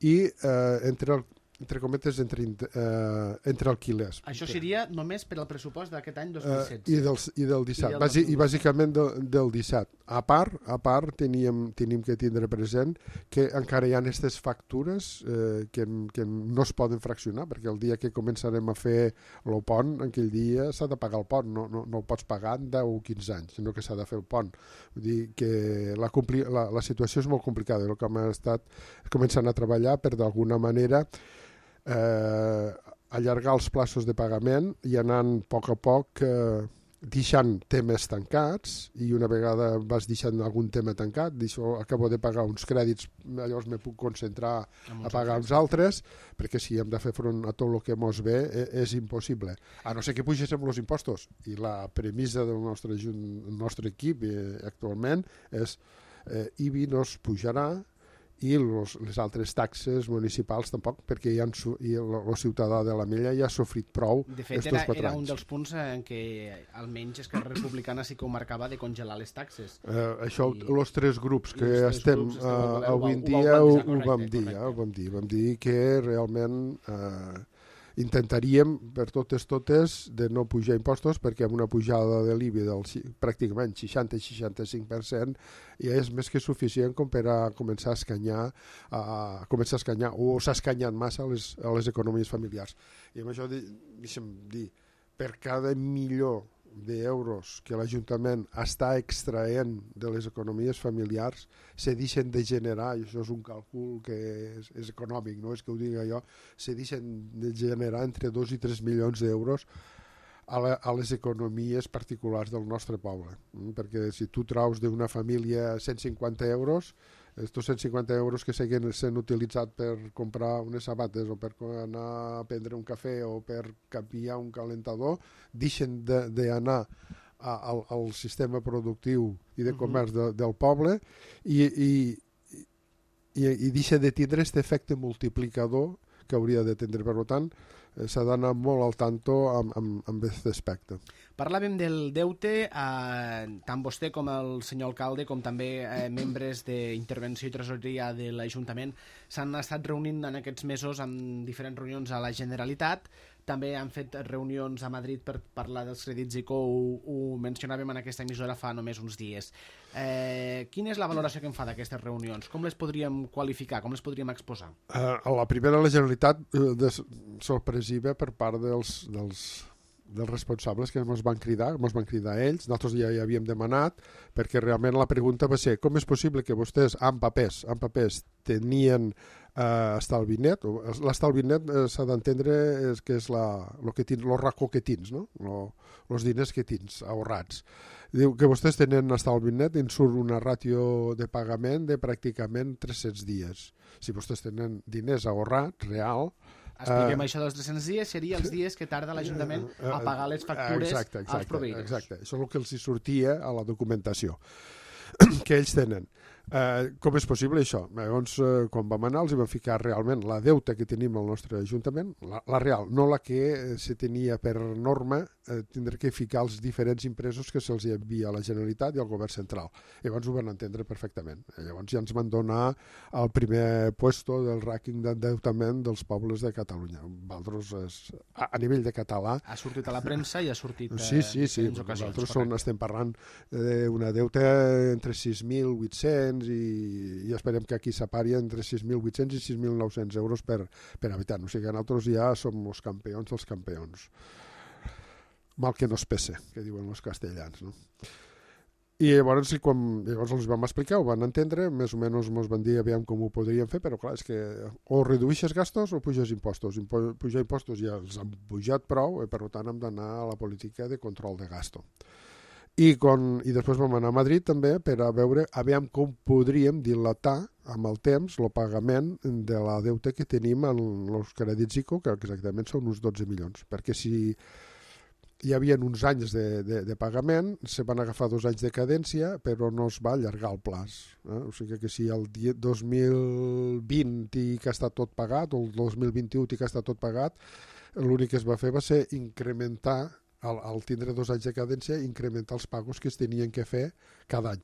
i eh, entre el entre cometes, entre, eh, entre alquilers. Això seria només per al pressupost d'aquest any dos mil setze. Uh, i, del, I del disset. I, del Bàsic, i bàsicament de, del disset. A part, a part teníem, tenim que tindre present que encara hi ha aquestes factures eh, que, que no es poden fraccionar, perquè el dia que començarem a fer el pont, aquell dia s'ha de pagar el pont, no, no, no el pots pagar en deu o quinze anys, sinó que s'ha de fer el pont. Vull dir que la, la, la situació és molt complicada, el que hem estat començant a treballar per d'alguna manera Eh, allargar els plaços de pagament i anant a poc a poc eh, deixant temes tancats i una vegada vas deixant algun tema tancat, deixo, acabo de pagar uns crèdits, llavors me puc concentrar a pagar uns altres, perquè si hem de fer front a tot el que mos ve eh, és impossible. A no ser que pugéssim els impostos i la premissa del nostre, el nostre equip eh, actualment és eh, I B I no es pujarà i los, les altres taxes municipals tampoc, perquè ja han, i el, el ciutadà de la Mella ja ha sofrit prou. De fet, era, era un dels punts en què almenys Esquerra Republicana sí que ho marcava de congelar les taxes. Eh, això, els tres grups que tres estem grups eh, avui en dia ho, ho, ho vam dir, eh, ho vam dir, vam dir que realment eh, intentaríem per totes totes de no pujar impostos, perquè amb una pujada de l'I B I del pràcticament seixanta a seixanta-cinc per cent ja és més que suficient com per a començar a escanyar, a, a començar a escanyar o s'ha escanyat massa a les, a les economies familiars. I amb això deixa'm dir, per cada milió d'euros que l'Ajuntament està extraient de les economies familiars se deixen de generar, i això és un càlcul que és, és econòmic, no és que ho digui jo, se deixen de generar entre dos i tres milions d'euros a, la, a les economies particulars del nostre poble, perquè si tu traus d'una família cent cinquanta euros, estos cent cinquanta euros que seguien sent utilitzats per comprar unes sabates o per anar a prendre un cafè o per canviar un calentador, deixen d'anar al, al sistema productiu i de comerç de, del poble i, i, i, i deixa de tindre aquest efecte multiplicador que hauria de tindre. Per tant, s'ha d'anar molt al tanto amb, amb, amb aquest aspecte. Parlàvem del deute, eh, tant vostè com el senyor alcalde, com també eh, membres d'intervenció i tresoreria de l'Ajuntament s'han estat reunint en aquests mesos amb diferents reunions a la Generalitat. També han fet reunions a Madrid per parlar dels crèdits ICO, ho, ho mencionàvem en aquesta emissora fa només uns dies. Eh, quina és la valoració que en fa d'aquestes reunions? Com les podríem qualificar? Com les podríem exposar? Uh, la primera, la Generalitat, uh, de, sorpresiva per part dels, dels, dels responsables que ens van cridar, ens van cridar ells, nosaltres ja hi havíem demanat, perquè realment la pregunta va ser com és possible que vostès amb papers, amb papers tenien Uh, estalvi net. L'estalvi net uh, s'ha d'entendre és que és la, lo que tins, lo racó que tins, no? Lo, los diners que tins ahorrats. Diu que vostès tenen estalvi net i en surt una ràtio de pagament de pràcticament tres-cents dies. Si vostès tenen diners ahorrats, real... Expliquem uh, això dels tres-cents dies, seria els dies que tarda l'Ajuntament a pagar les factures exacte, exacte, als proveïdors. Exacte, això és el que els sortia a la documentació que ells tenen. Eh, com és possible això? Llavors, eh, quan vam anar, els vam ficar realment la deuta que tenim al nostre Ajuntament, la, la real, no la que eh, se tenia per norma, eh, tindre que ficar els diferents impresos que se'ls envia a la Generalitat i al Govern Central. Llavors ho van entendre perfectament. Llavors ja ens van donar el primer puesto del rànquing d'endeutament dels pobles de Catalunya. Valtros, és, a, a nivell de català... Ha sortit a la premsa i ha sortit sí, sí, sí. en ocasions. Nosaltres són, estem parlant d'una deuta entre sis mil vuit-cents i, i esperem que aquí s'apari entre sis mil vuit-cents i sis mil nou-cents euros per, per habitant. O sigui que nosaltres ja som els campions dels campions. Mal que no es pese, que diuen els castellans, no? I llavors, quan, llavors els vam explicar, ho van entendre, més o menys ens van dir aviam com ho podríem fer, però clar, és que o redueixes gastos o puges impostos. Impo, pujar impostos ja els han pujat prou, i per tant hem d'anar a la política de control de gasto. I, con, I després vam anar a Madrid també per a veure aviam com podríem dilatar amb el temps el pagament de la deuta que tenim en els crèdits I C O, que exactament són uns dotze milions, perquè si hi havia uns anys de, de, de pagament, se van agafar dos anys de cadència, però no es va allargar el plaç. Eh? O sigui que si el dos mil vint i que està tot pagat, o el dos mil vint-i-u i que està tot pagat, l'únic que es va fer va ser incrementar, al, al tindre dos anys de cadència, incrementar els pagos que es tenien que fer cada any.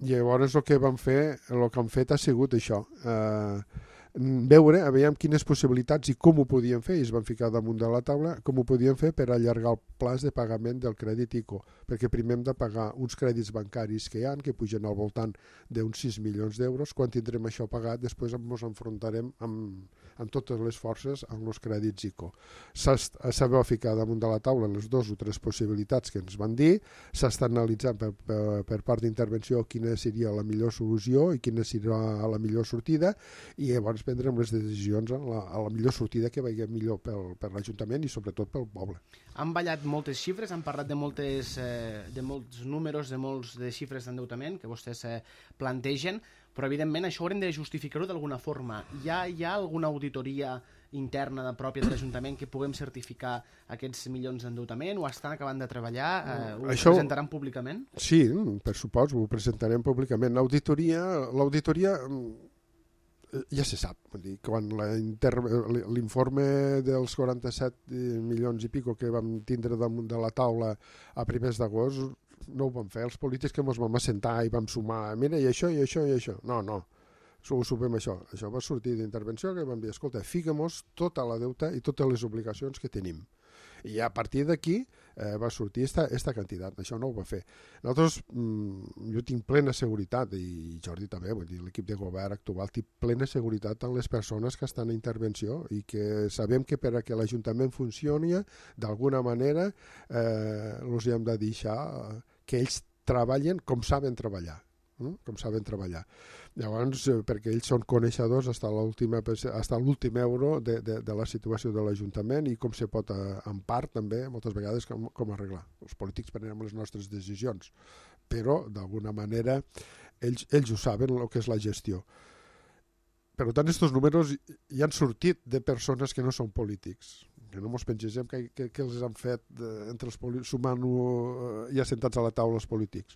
I llavors el que vam fer, el que han fet ha sigut això, eh, veure, veiem quines possibilitats i com ho podien fer, i es van ficar damunt de la taula, com ho podien fer per allargar el plaç de pagament del crèdit I C O, perquè primer hem de pagar uns crèdits bancaris que hi ha, que pugen al voltant d'uns sis milions d'euros. Quan tindrem això pagat, després ens enfrontarem amb, amb totes les forces amb els crèdits I C O. S'ha ficar damunt de la taula les dues o tres possibilitats que ens van dir, s'està analitzant per, per, per part d'intervenció quina seria la millor solució i quina serà la millor sortida, i llavors prendrem les decisions a la, a la millor sortida que vagi millor pel, per l'Ajuntament i sobretot pel poble. Han ballat moltes xifres, han parlat de, moltes, eh, de molts números, de molts de xifres d'endeutament que vostès eh, plantegen, però evidentment això haurem de justificar-ho d'alguna forma. Hi ha, hi ha alguna auditoria interna de pròpia de l'Ajuntament que puguem certificar aquests milions d'endeutament, o estan acabant de treballar, eh, ho això... presentaran públicament? Sí, per supòs, ho presentarem públicament. L'auditoria, l'auditoria ja se sap, vull dir, quan l'informe dels quaranta-set milions i pico que vam tindre damunt de la taula a primers d'agost, no ho vam fer els polítics, que ens vam assentar i vam sumar, mira, i això, i això, i això. No, no, ho supem això. Això va sortir d'intervenció, que vam dir, escolta, fica-mos tota la deuta i totes les obligacions que tenim. I a partir d'aquí eh, va sortir esta, esta quantitat. Això no ho va fer. Nosaltres, mmm, jo tinc plena seguretat, i Jordi també, vull dir, l'equip de govern actual té plena seguretat en les persones que estan en intervenció, i que sabem que per a que l'Ajuntament funcioni, d'alguna manera, eh, els hem de deixar que ells treballen com saben treballar. com saben treballar. Llavors, eh, perquè ells són coneixedors fins a l'últim euro de, de, de la situació de l'Ajuntament i com se pot, eh, en part, també, moltes vegades, com, com arreglar. Els polítics prenem les nostres decisions, però, d'alguna manera, ells, ells ho saben, el que és la gestió. Per tant, aquests números hi han sortit de persones que no són polítics, que no ens pengegem que, que, que els han fet eh, entre els sumant-ho eh, i assentats a la taula els polítics.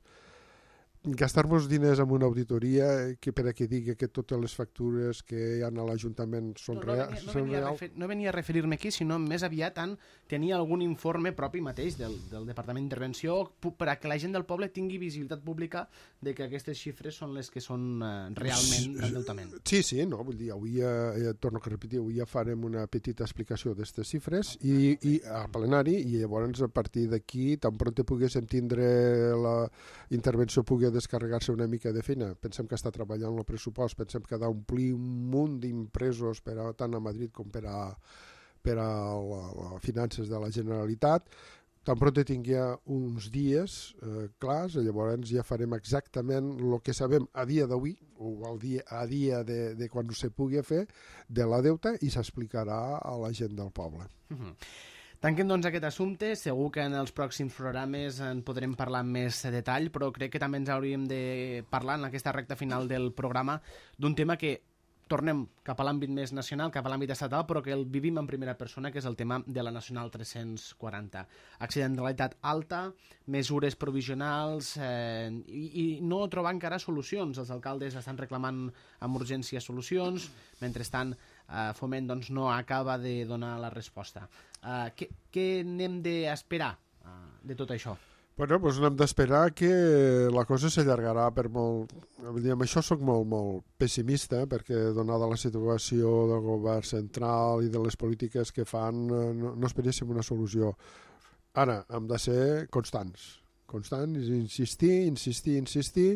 Gastar-nos diners en una auditoria que per a que digui que totes les factures que hi ha a l'Ajuntament són no, no reals. No, venia, no, venia no venia a referir-me aquí, sinó més aviat en tenir algun informe propi mateix del, del Departament d'Intervenció per a que la gent del poble tingui visibilitat pública de que aquestes xifres són les que són eh, realment d'endeutament. Sí, sí, no, vull dir, avui ja, ja torno a repetir, avui ja farem una petita explicació d'aquestes xifres i, i a plenari, i llavors a partir d'aquí, tan pront poguéssim tindre la intervenció pugui descarregar-se una mica de feina. Pensem que està treballant el pressupost, pensem que ha d'omplir un munt d'impresos per a, tant a Madrid com per a, per a les finances de la Generalitat. Tan pront tingui uns dies eh, clars, llavors ja farem exactament el que sabem a dia d'avui, o al dia, a dia de, de quan se pugui fer, de la deuta, i s'explicarà a la gent del poble. Uh-huh. Tanquem doncs aquest assumpte, segur que en els pròxims programes en podrem parlar amb més detall, però crec que també ens hauríem de parlar en aquesta recta final del programa d'un tema que tornem cap a l'àmbit més nacional, cap a l'àmbit estatal, però que el vivim en primera persona, que és el tema de la Nacional tres-cents quaranta. Accidentalitat alta, mesures provisionals eh, i, i no trobar encara solucions. Els alcaldes estan reclamant amb urgència solucions, mentrestant eh, Foment doncs, no acaba de donar la resposta. Eh, què, què n'hem d'esperar eh, de tot això? Bueno, doncs no hem d'esperar que la cosa s'allargarà per molt... Amb això soc molt, molt pessimista, perquè donada la situació del govern central i de les polítiques que fan, no, no esperéssim una solució. Ara, hem de ser constants. Constants, insistir, insistir, insistir.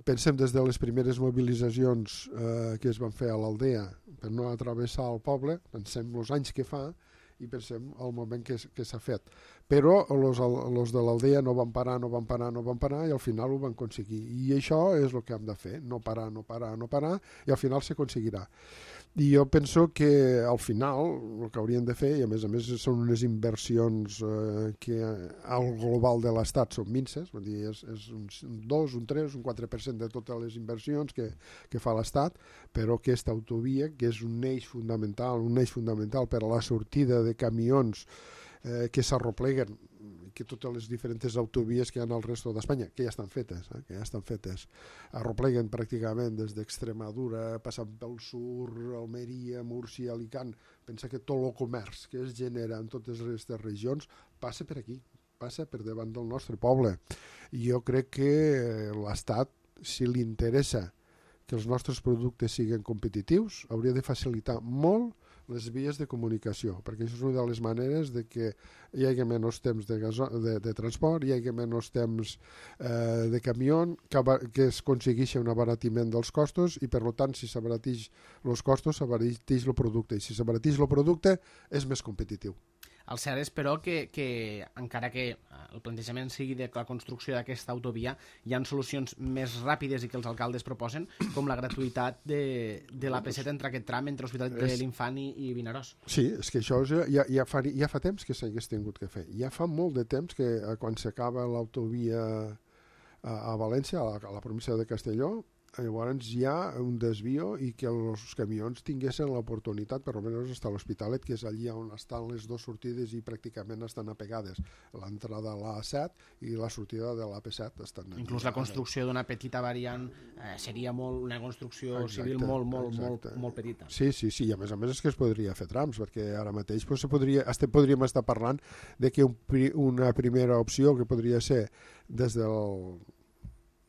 Pensem des de les primeres mobilitzacions eh, que es van fer a l'Aldea per no atravessar el poble, pensem els anys que fa, i pensem el moment que, que s'ha fet. Però els de l'Aldea no van parar, no van parar, no van parar, i al final ho van aconseguir. I això és el que hem de fer, no parar, no parar, no parar, i al final s'aconseguirà. I jo penso que al final el que hauríem de fer, i a més a més són unes inversions eh, que al global de l'Estat són minces, vull dir, és, és un dos, un tres, un quatre per cent de totes les inversions que, que fa l'Estat, però aquesta autovia, que és un eix fundamental, un eix fundamental per a la sortida de camions eh, que s'arropleguen, que totes les diferents autovies que hi ha al resto d'Espanya, que ja estan fetes, eh, que ja estan fetes, arropleguen pràcticament des d'Extremadura, passant pel sur, Almeria, Múrcia, Alicant. Pensa que tot el comerç que es genera en totes aquestes regions passa per aquí, passa per davant del nostre poble. I jo crec que l'Estat, si li interessa que els nostres productes siguin competitius, hauria de facilitar molt les vies de comunicació, perquè això és una de les maneres de que hi hagi menys temps de, gaso de, de transport, hi hagi menys temps eh, de camió, que, que es aconsegueixi un abaratiment dels costos i, per tant, si s'abarateix els costos, s'abarateix el producte. I si s'abarateix el producte, és més competitiu. El cert és, però, que, que encara que el plantejament sigui de la construcció d'aquesta autovia, hi ha solucions més ràpides i que els alcaldes proposen, com la gratuïtat de, de l'A P set entre aquest tram entre l'Hospital de l'Infant i, i Vinaròs. Sí, és que això ja, ja, fa, ja fa temps que s'hagués tingut que fer. Ja fa molt de temps que quan s'acaba l'autovia a, a València, a la, a la província de Castelló, llavors hi ha un desvio i que els camions tinguessin l'oportunitat, per almenys fins a l'Hospitalet, que és allí on estan les dues sortides i pràcticament estan apegades. L'entrada a l'A set i la sortida de l'A P set estan allí. Inclús la construcció d'una petita variant eh, seria molt, una construcció exacte, civil molt, molt, molt, molt petita. Sí, sí, sí, i a més a més és que es podria fer trams, perquè ara mateix pues, se podria, este, podríem estar parlant de que un, una primera opció que podria ser des del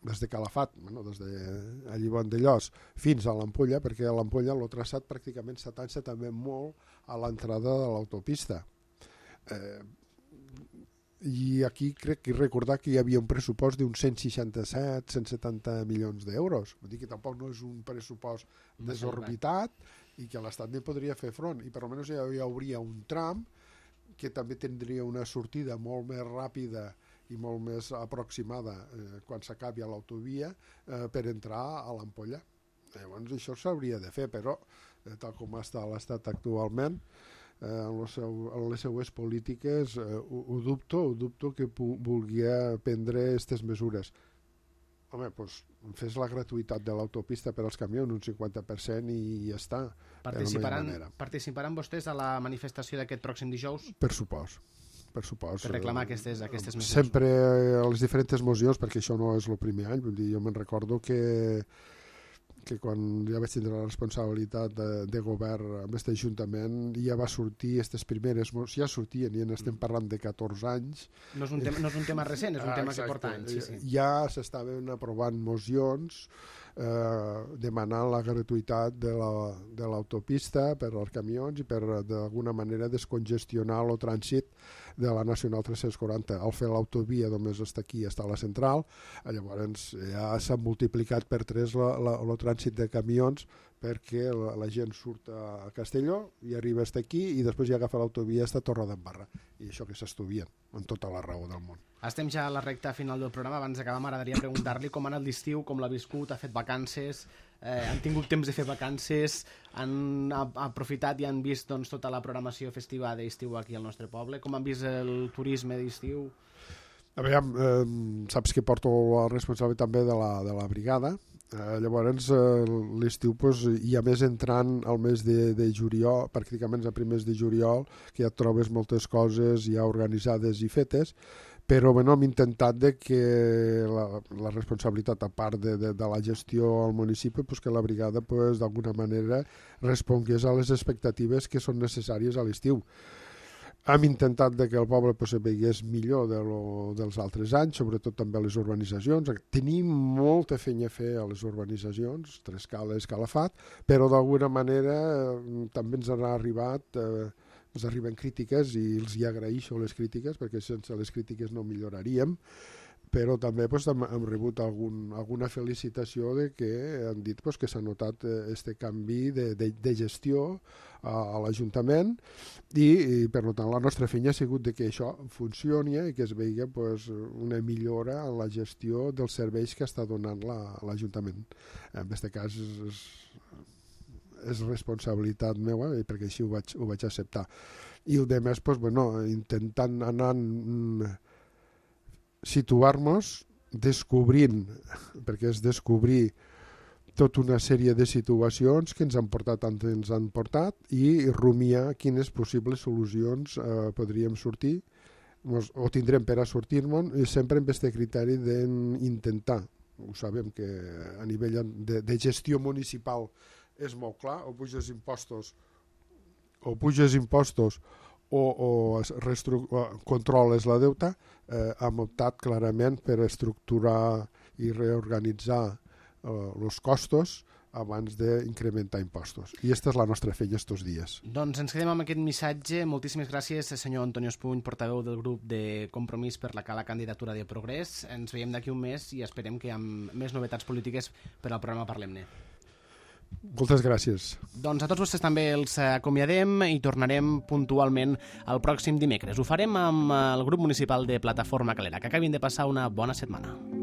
des de Calafat, bueno, des de allí Vandellós fins a l'Ampolla, perquè a l'Ampolla el traçat pràcticament s'atança també molt a l'entrada de l'autopista. Eh, I aquí crec que recordar que hi havia un pressupost d'uns cent seixanta-set cent setanta milions d'euros. Vull dir que tampoc no és un pressupost desorbitat i que l'Estat no podria fer front. I per almenys hi hauria un tram que també tindria una sortida molt més ràpida i molt més aproximada eh, quan s'acabi a l'autovia eh, per entrar a l'Ampolla. Llavors això s'hauria de fer, però eh, tal com està l'Estat actualment, eh, en, seu, en les seues polítiques eh, ho, ho dubto, ho dubto que vulgui prendre aquestes mesures. Home, doncs fes la gratuïtat de l'autopista per als camions, un cinquanta per cent i ja està. Participaran, participaran vostès a la manifestació d'aquest pròxim dijous? Per supost. Per supost. Per reclamar aquestes, aquestes mesures. Sempre a les diferents mocions, perquè això no és el primer any, vull dir, jo me'n recordo que, que quan ja vaig tindre la responsabilitat de, de govern amb aquest ajuntament ja va sortir aquestes primeres mocions, ja sortien i en estem parlant de catorze anys. No és un tema, no és un tema recent, és un ah, tema exacte. que porta anys. Sí, sí. Ja s'estaven aprovant mocions eh, demanant la gratuïtat de l'autopista la, per als camions i per d'alguna manera descongestionar el trànsit de la Nacional tres-cents quaranta. Al fer l'autovia només està aquí, està a la central, llavors ja s'ha multiplicat per tres el trànsit de camions perquè la, la gent surt a Castelló i arriba fins aquí i després ja agafa l'autovia fins a Torredembarra. I això que s'estudien, amb tota la raó del món. Estem ja a la recta final del programa. Abans d'acabar m'agradaria preguntar-li com ha anat l'estiu, com l'ha viscut, ha fet vacances, eh, han tingut temps de fer vacances, han aprofitat i han vist doncs, tota la programació festiva d'estiu aquí al nostre poble. Com han vist el turisme d'estiu? A veure, eh, saps que porto la responsabilitat també de la, de la brigada. Uh, llavors, uh, l'estiu pues, hi ha més entrant al mes de, de juliol, pràcticament a primers de juliol, que ja et trobes moltes coses ja organitzades i fetes, però bueno, hem intentat de que la, la responsabilitat, a part de, de, de la gestió al municipi, pues, que la brigada pues, d'alguna manera respongués a les expectatives que són necessàries a l'estiu. Hem intentat de que el poble pues, se veigués millor de lo, dels altres anys, sobretot també a les urbanitzacions. Tenim molta feina a fer a les urbanitzacions, Trescala i Calafat, però d'alguna manera eh, també ens han arribat... Eh, ens arriben crítiques i els hi agraeixo les crítiques perquè sense les crítiques no milloraríem, però també pues, hem, hem rebut algun, alguna felicitació de que han dit pues, que s'ha notat este canvi de, de, de gestió a, a l'Ajuntament i, i per tant la nostra feina ha sigut de que això funcioni i que es vegi pues, una millora en la gestió dels serveis que està donant l'Ajuntament. En aquest cas és, és responsabilitat meva perquè així ho vaig, ho vaig acceptar. I el de més, pues, bueno, intentant anar situar-nos, descobrint, perquè és descobrir tota una sèrie de situacions que ens han portat on ens han portat i rumiar quines possibles solucions eh, podríem sortir mos, o tindrem per a sortir-nos i sempre amb aquest criteri d'intentar. Ho sabem que a nivell de, de gestió municipal és molt clar, o puges impostos o puges impostos o, o, o controles la deuta, eh, hem optat clarament per estructurar i reorganitzar els eh, costos abans d'incrementar impostos. I aquesta és la nostra feina estos dies. Doncs ens quedem amb aquest missatge. Moltíssimes gràcies, senyor Antonio Espuny, portaveu del grup de Compromís per la Cala Candidatura de Progrés. Ens veiem d'aquí un mes i esperem que amb més novetats polítiques per al programa Parlem-ne. Moltes gràcies. Doncs a tots vostès també els acomiadem i tornarem puntualment el pròxim dimecres. Ho farem amb el grup municipal de Plataforma Calera. Que acabin de passar una bona setmana.